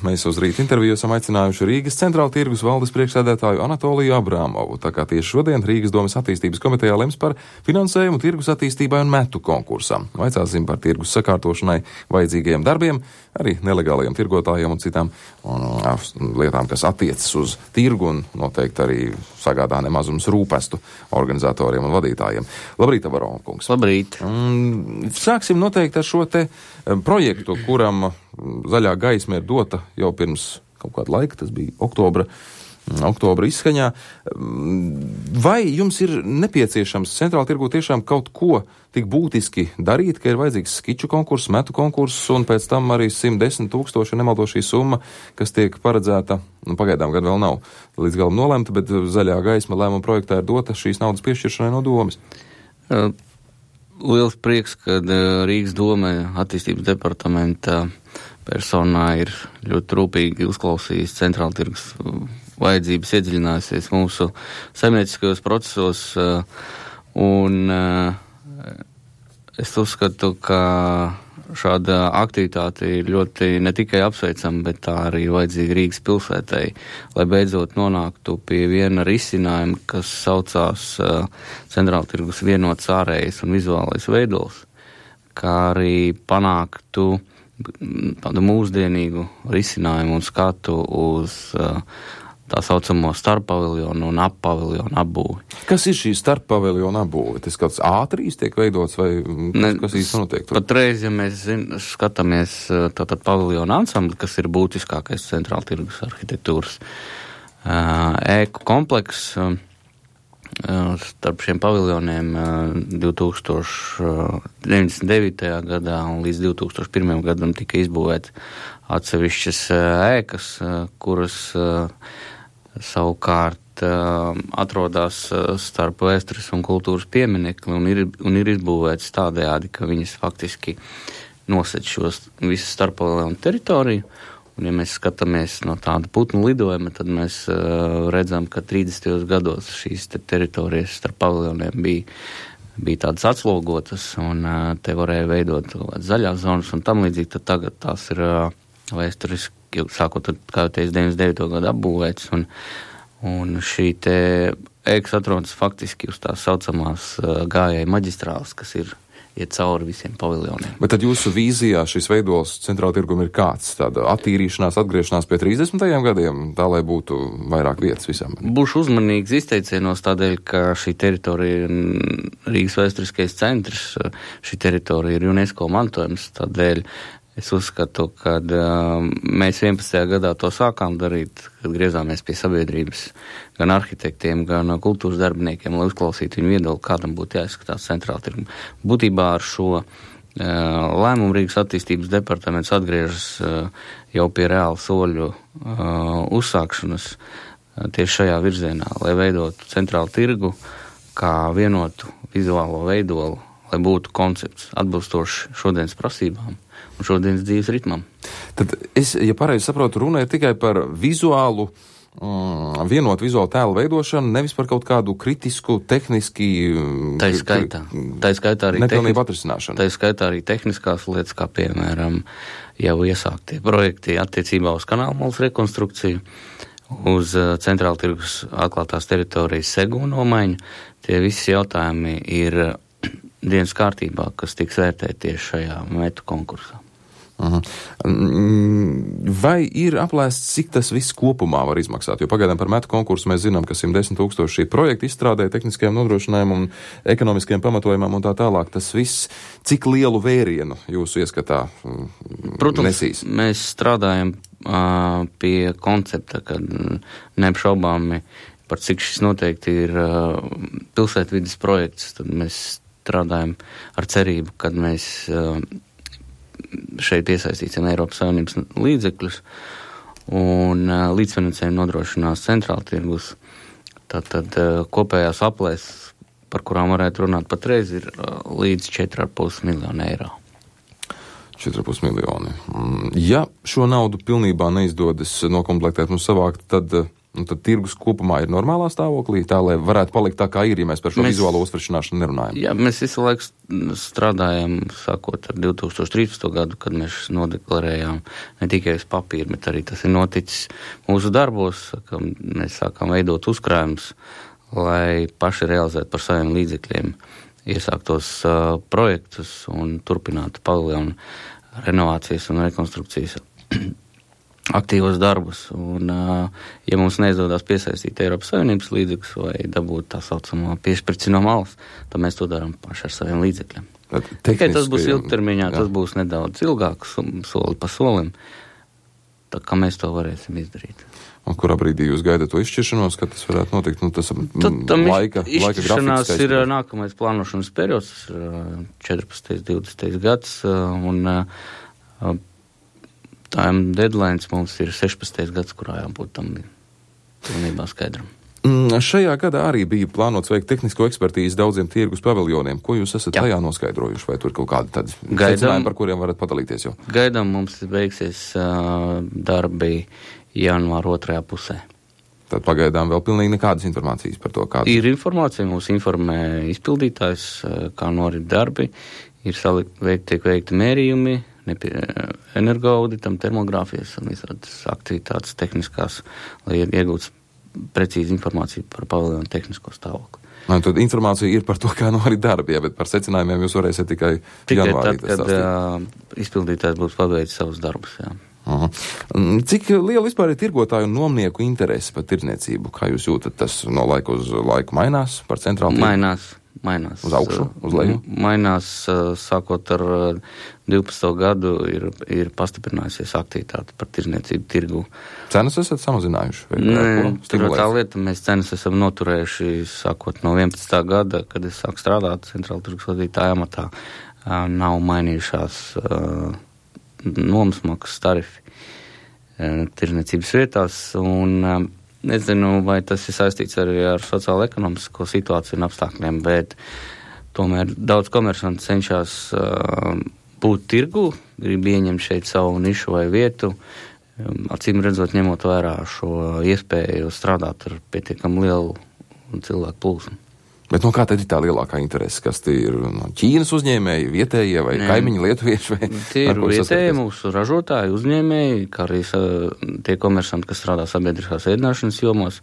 Mēs uz rīta interviju esam aicinājuši Rīgas centrāla tirgus valdes priekšsēdētāju Anatoliju Abrāmovu, tā kā tieši šodien Rīgas domes attīstības komitejā lems par finansējumu tirgus attīstībai un metu konkursam. Vaicāsim par tirgus sakārtošanai vajadzīgajiem darbiem, arī nelegālajiem tirgotājiem un citām lietām, kas attiecas uz tirgu un noteikti arī sagādā nemazums rūpestu organizatoriem un vadītājiem. Labrīt, Abrāmov kungs. Labrīt. Sāksim noteikti ar šo te projektu, kuram zaļā gaisma ir dota jau pirms kaut kāda laika, tas bija oktobra izskaņā. Vai jums ir nepieciešams centrāla tirgū tiešām kaut ko tik būtiski darīt, ka ir vajadzīgs skiču konkurss, metu konkurss un pēc tam arī 110 000, nemaldo šī summa, kas tiek paredzēta, pagaidām gan vēl nav līdz galam nolemta, bet zaļā gaisma lēmuma projektā ir dota šīs naudas piešķiršanai no domes? Liels prieks, kad Rīgas dome attīstības departamenta personā ir ļoti rūpīgi uzklausījis centrāla tirgus vajadzības, iedziļinājusies mūsu saimnieciskajos procesos, un es uzskatu, ka šāda aktivitāte ir ļoti ne tikai apsveicama, bet tā arī vajadzīga Rīgas pilsētai, lai beidzot nonāktu pie viena risinājuma, kas saucās centrāla tirgus vienots ārējais un vizuālais veidols, kā arī panāktu tādu mūsdienīgu risinājumu un skatu uz tā saucamo starppaviljonu un appaviljonu apbūvi. Kas ir šī starppaviljonu apbūve? Tas kāds A3 tiek veidots vai kas īsti notiek? Patreiz, ja mēs skatāmies tātad paviljonu ansambli, kas ir būtiskākais centrāla tirgus arhitektūras ēku kompleks, starp šiem paviljoniem 2099. gadā un līdz 2001. gadam tika izbūvēts atsevišķas ēkas, kuras savukārt atrodas starp vēstures un kultūras pieminekli un ir izbūvēts tādējādi, ka viņas faktiski nosec šos visu starppaviljonu teritoriju. Un, ja mēs skatāmies no tāda putnu lidojuma, tad mēs redzam, ka 30. gados šīs teritorijas starp paviljoniem bija tādas atslogotas, un te varēja veidot zaļās zonas un tam līdzīgi, tad tagad tās ir vēsturiski, sākot, kā jau teicu, 99. gadu apbūvēts, un šī te ēkas atrodas faktiski uz tās saucamās gājēju maģistrāles, kas iet cauri visiem paviljoniem. Bet tad jūsu vīzijā šis veidols centrāla tirgum ir kāds? Tāda attīrīšanās, atgriešanās pie 30. gadiem, tā lai būtu vairāk vietas visam? Būšu uzmanīgs izteicienos tādēļ, ka šī teritorija ir Rīgas vēsturiskais centrs, šī teritorija ir UNESCO mantojums, tādēļ es uzskatu, ka mēs 11. gadā to sākām darīt, kad griezāmies pie sabiedrības, gan arhitektiem, gan kultūras darbiniekiem, lai uzklausītu viņu viedokli, kādam būtu jāizskatās centrāla tirgum. Būtībā ar šo lēmumu Rīgas attīstības departaments atgriežas jau pie reāla soļu uzsākšanas tieši šajā virzienā, lai veidotu centrālu tirgu kā vienotu vizuālo veidolu, lai būtu koncepts atbilstoši šodienas prasībām un šodienas dzīves ritmam. Tad es, ja pareizi saprotu, runa ir tikai par vizuālu, vienotu vizuālu tēlu veidošanu, nevis par kaut kādu kritisku, tehniski... Tā skaitā arī nepilnību atrisināšanu. Tā skaitā arī tehniskās lietas, kā piemēram jau iesāktie projekti attiecībā uz kanālmalas rekonstrukciju, uz centrāla tirgus atklātās teritorijas segu nomaiņu. Tie visi jautājumi ir dienas kārtībā, kas tiks vērtēti tieši šajā metu konkursā. Vai ir aplēsts, cik tas viss kopumā var izmaksāt? Jo pagaidām par metu konkursu mēs zinām, ka 110 000 šī projekta izstrādē, tehniskajām nodrošinājumam un ekonomiskajiem pamatojumam un tā tālāk. Tas viss, cik lielu vērienu jūsu ieskatā Protams, nesīs? Mēs strādājam pie koncepta, kad neapšaubāmi par cik šis noteikti ir pilsētvides projekts, tad mēs strādājam ar cerību, kad mēs šeit iesaistīsim Eiropas Savienības līdzekļus un līdzfinansējumu nodrošinās centrāla tirgus. Tātad kopējās aplēses, par kurām varētu runāt patreiz, ir līdz 4,5 miljonu eiro. 4,5 miljoni. Ja šo naudu pilnībā neizdodas nokomplektēt un savākt, tad Un tad tirgus kopumā ir normālā stāvoklī, tā, lai varētu palikt tā, kā ir, ja mēs par šo vizuālo uztveršanāšanu nerunājam. Jā, mēs visu laiku strādājam, sākot ar 2013. gadu, kad mēs nodeklarējām ne tikai uz papīra, bet arī tas ir noticis mūsu darbos, ka mēs sākām veidot uzkrājumus, lai paši realizētu par saviem līdzekļiem iesāktos projektus un turpinātu paviljonu renovācijas un rekonstrukcijas aktīvos darbus, un ja mums neizdodas piesaistīt Eiropas Savienības līdzekļus vai dabūt tā saucamo piešprici no malas, tad mēs to darām paši ar saviem līdzekļiem. Tikai tas būs ilgtermiņā, tas būs nedaudz ilgāks, soli pa solim, tā kā mēs to varēsim izdarīt. Un kurā brīdī jūs gaidat to izšķiršanos, kad tas varētu notikt? Nu, tas laika izšķiršanās ir nākamais plānošanas periods, 14. 20. gads, un time deadlines mums ir 16. gads, kurā jābūt tam pilnībā skaidram. Šajā gadā arī bija plānots veikt tehnisko ekspertīzi daudziem tirgus paviljoniem. Ko jūs esat tajā noskaidrojuši? Vai tur kaut kādi tādi secinājumi, par kuriem varat padalīties jau? Gaidām mums beigsies darbi janvāra 2. pusē. Tad pagaidām vēl pilnīgi nekādas informācijas par to, kāda ir informācija. Mūs informē izpildītājs, kā norit darbi. Ir tiek veikti mērījumi, energoauditam, termogrāfijas un visādas aktivitātes tehniskās, lai iegūtu precīzi informāciju par paviljonu tehnisko stāvokli. Tad informācija ir par to, kā norit darbi, bet par secinājumiem jūs varēsiet tikai janvārī. Tikai tad, kad izpildītājs būs paveicis savus darbus, jā. Cik liela vispār ir tirgotāju un nomnieku interese par tirdzniecību? Kā jūs jūtat, tas no laika uz laiku mainās par centrālu tirgu? Mainās. Uz augšu, uz leju? Mainās, sākot ar 12. gadu ir pastiprinājusies aktivitāte par tirdzniecību tirgu. Cenas esat samazinājuši? Nē, tur tā lieta, mēs cenas esam noturējuši sākot no 11. gada, kad es sāku strādāt centrāla tirgus vadītāja amatā. Nav mainījušās nomasmaksas tarifi tirdzniecības vietās, un nezinu, vai tas ir saistīts arī ar sociālo-ekonomisko situāciju un apstākļiem, bet tomēr daudz komersanti cenšas būt tirgu, grib ieņemt šeit savu nišu vai vietu, acīm redzot, ņemot vērā šo iespēju strādāt ar pietiekam lielu cilvēku plūsmu. Bet no kā tad ir tā lielākā interese? Kas tie ir no Ķīnas uzņēmēji, vietējie vai kaimiņi lietuvieši? Tie ir vietēji mūsu ražotāji, uzņēmēji, kā arī tie komersanti, kas strādā sabiedriskās ēdināšanas jomos,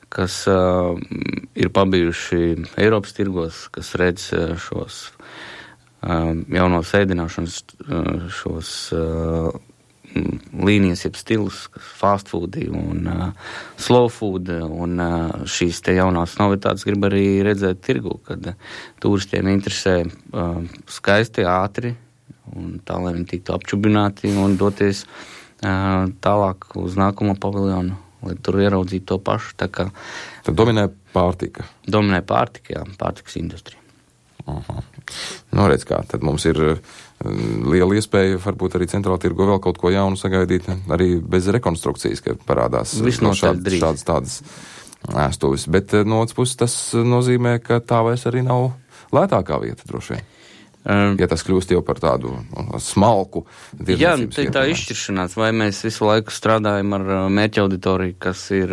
kas ir pabijuši Eiropas tirgos, kas redz šos jaunos ēdināšanas, šos līnijas, jeb stilus, fast food un slow food, un šīs te jaunās novitātes grib arī redzēt tirgu, kad turistiem interesē skaisti, ātri, un tā, lai viņi tiktu apčubināti un doties tālāk uz nākamo paviljonu, lai tur ieraudzītu to pašu. Tā kā tad dominē pārtika? Dominē pārtika, jā, pārtikas industrija. Redz kā, tad mums ir liela iespēja varbūt arī centrāla tirgo vēl kaut ko jaunu sagaidīt, arī bez rekonstrukcijas, ka parādās šādas tādas ēstuvis. Bet no otras puses tas nozīmē, ka tā vairs arī nav lētākā vieta droši vien. Ja tas kļūst jau par tādu smalku tirdzniecības vietu. Jā, tā izšķiršanās, vai mēs visu laiku strādājam ar mērķa auditoriju, kas ir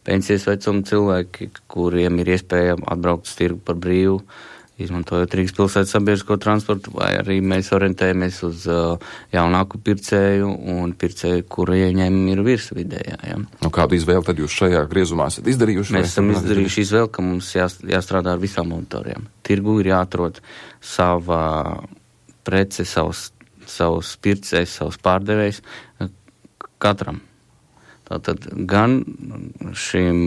pensijas vecuma cilvēki, kuriem ir iespēja atbraukt uz tirgu par brīvu, izmantojot Rīgas pilsētas sabiedrisko transportu, vai arī mēs orientējamies uz jaunāku pircēju un pircēju, kura ieņēmumi ir virs vidējā. Ja. Kādu izvēli tad jūs šajā griezumā esat izdarījuši? Mēs esam izdarījuši izvēli, ka mums jāstrādā ar visām auditorijām. Tirgu ir jāatrod sava prece, savus pircējs, savus pārdevējs katram. Tātad gan šīm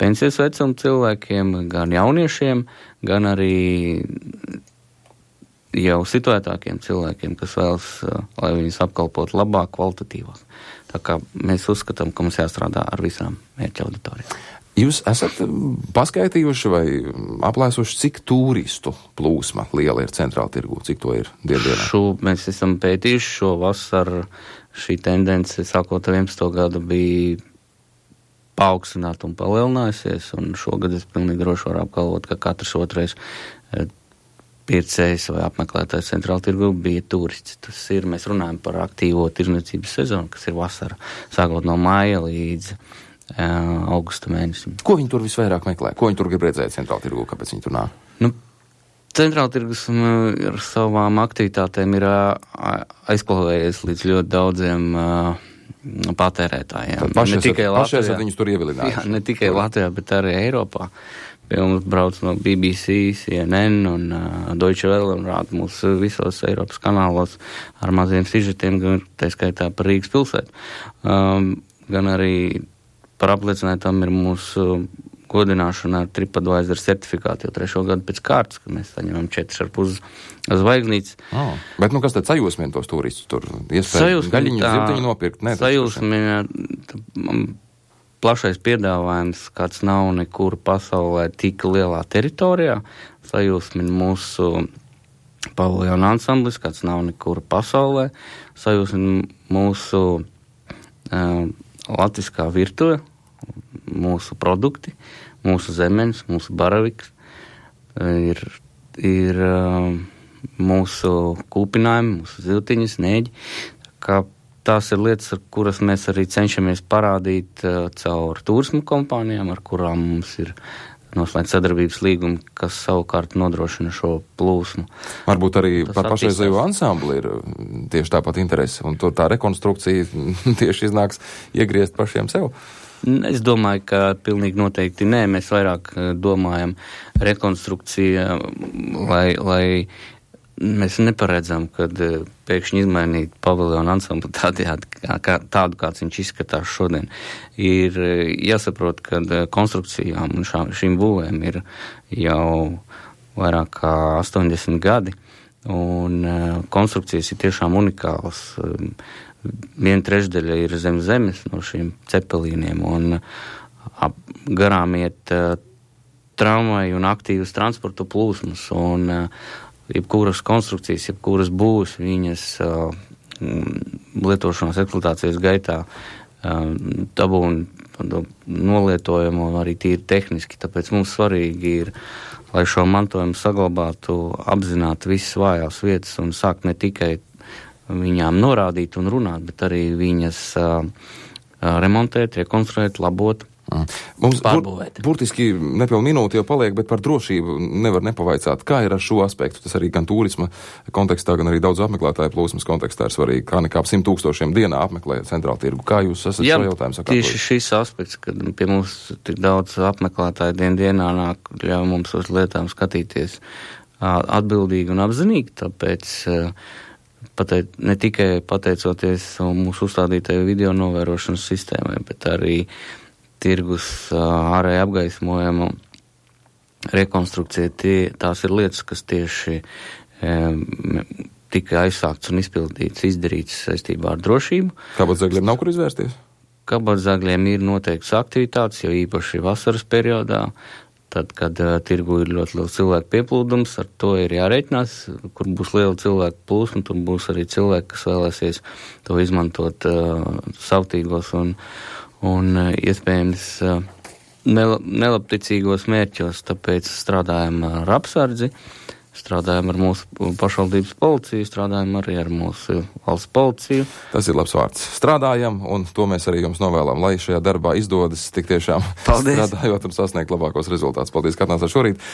pensijas vecuma cilvēkiem, gan jauniešiem, gan arī jau situētākiem cilvēkiem, kas vēlas, lai viņus apkalpot labāk, kvalitatīvāk. Tā kā mēs uzskatām, ka mums jāstrādā ar visām mērķa auditorijām. Jūs esat paskaitījuši vai aplēsuši, cik turistu plūsma liela ir centrāla tirgū? Cik to ir dienā? Mēs esam pētījuši šo vasaru. Šī tendence, sākot ar 11. gadu, bija paaugstināta un palielinājusies, un šogad es pilnīgi droši varu apgalvot, ka katrs otrais pircējs vai apmeklētājs centrāla tirgu bija turists. Tas ir, mēs runājam par aktīvo tirdzniecības sezonu, kas ir vasara, sākot no māja līdz augusta mēnesim. Ko viņi tur visvairāk meklē? Ko viņi tur grib redzēt centrāla tirgu? Kāpēc viņi tur nāk? Nu, centrāla tirgus ar savām aktivitātēm ir aizklavējies līdz ļoti daudziem patērētājiem. Paši esat viņus tur ievilinājuši. Jā, ne tikai Latvijā, bet arī Eiropā. Pie mums brauc no BBC, CNN un Deutsche Welle un rāda mūs visos Eiropas kanālos ar maziem sižetiem, gan tā skaitā par Rīgas pilsētu. Gan arī par apliecinājumu ir mūsu godināšana ar TripAdvisor certifikātu jau 3. gadu pēc kārtas, kad mēs saņemam 4,5 zvaigznītes. Bet kas tad sajūsmina tos turistus tur? Iespēja gaļiņu, zirtiņu nopirkt? Sajūsmina plašais piedāvājums, kāds nav nekur pasaulē tik lielā teritorijā. Sajūsmina mūsu paviljona ansamblis, kāds nav nekur pasaulē. Sajūsmina mūsu latviskā virtuve, mūsu produkti, mūsu zemenes, mūsu baraviks, ir mūsu kūpinājumi, mūsu ziltiņas, nēģi. Kā tās ir lietas, ar kuras mēs arī cenšamies parādīt caur turismu kompānijām, ar kurām mums ir noslēgt sadarbības līgumi, kas savukārt nodrošina šo plūsmu. Varbūt arī par pašreizējo ansambli ir tieši tāpat interese, un tur tā rekonstrukcija tieši iznāks iegriezt pašiem sev. Es domāju, ka pilnīgi noteikti nē. Mēs vairāk domājam rekonstrukcija, lai mēs neparedzam, kad pēkšņi izmainīt paviljonu ansambli tādu, kāds viņš izskatās šodien. Ir jāsaprot, ka konstrukcijām un šīm būvēm ir jau vairāk kā 80 gadi, un konstrukcijas ir tiešām unikālas. 1/3 ir zem zemes no šiem cepelīniem, un garām iet tramvaji un aktīvas transporta plūsmas, un jebkuras konstrukcijas, jebkuras būvs, viņas lietošanās eksploatācijas gaitā dabūna nolietojumu arī tīri tehniski, tāpēc mums svarīgi ir, lai šo mantojumu saglabātu, apzināt visas vājās vietas un sākt ne tikai viņām norādīt un runāt, bet arī viņas remontēt, rekonstruēt, labot, mums pārbūvēt. Burtiski nepilnu minūti jau paliek, bet par drošību nevar nepavaicāt. Kā ir ar šo aspektu? Tas arī gan turisma kontekstā, gan arī daudz apmeklētāju plūsmas kontekstā ir svarīgi. Kā nekā 100,000 dienā apmeklē centrālu tirgu. Kā jūs esat šo jautājumu sakārtojis? Tieši šis aspekts, kad pie mums tik daudz apmeklētāju dienā nāk, ļauj mums uz lietām skatīties atbildīgi un apzinīgi, tāpēc ne tikai pateicoties mūsu uzstādītajai video novērošanas sistēmai, bet arī tirgus ārēji apgaismojumu rekonstrukcija, tās ir lietas, kas tieši tika aizsākts un izdarīts saistībā ar drošību. Kabatzagļiem nav kur izvērsties? Kabatzagļiem ir noteikts aktivitātes, jo īpaši vasaras periodā, tad, kad tirgu ir ļoti liels cilvēku pieplūdums, ar to ir jārēķinās, kur būs liela cilvēku plūsma, tur būs arī cilvēki, kas vēlēsies to izmantot savtīgos un iespējams nelabticīgos mērķos, tāpēc strādājam ar apsardzi, strādājam ar mūsu pašvaldības policiju, strādājam arī ar mūsu valsts policiju. Tas ir labs vārds. Strādājam, un to mēs arī jums novēlam, lai šajā darbā izdodas tik tiešām strādājot un sasniegt labākos rezultātus. Paldies, ka atnācāt šorīt.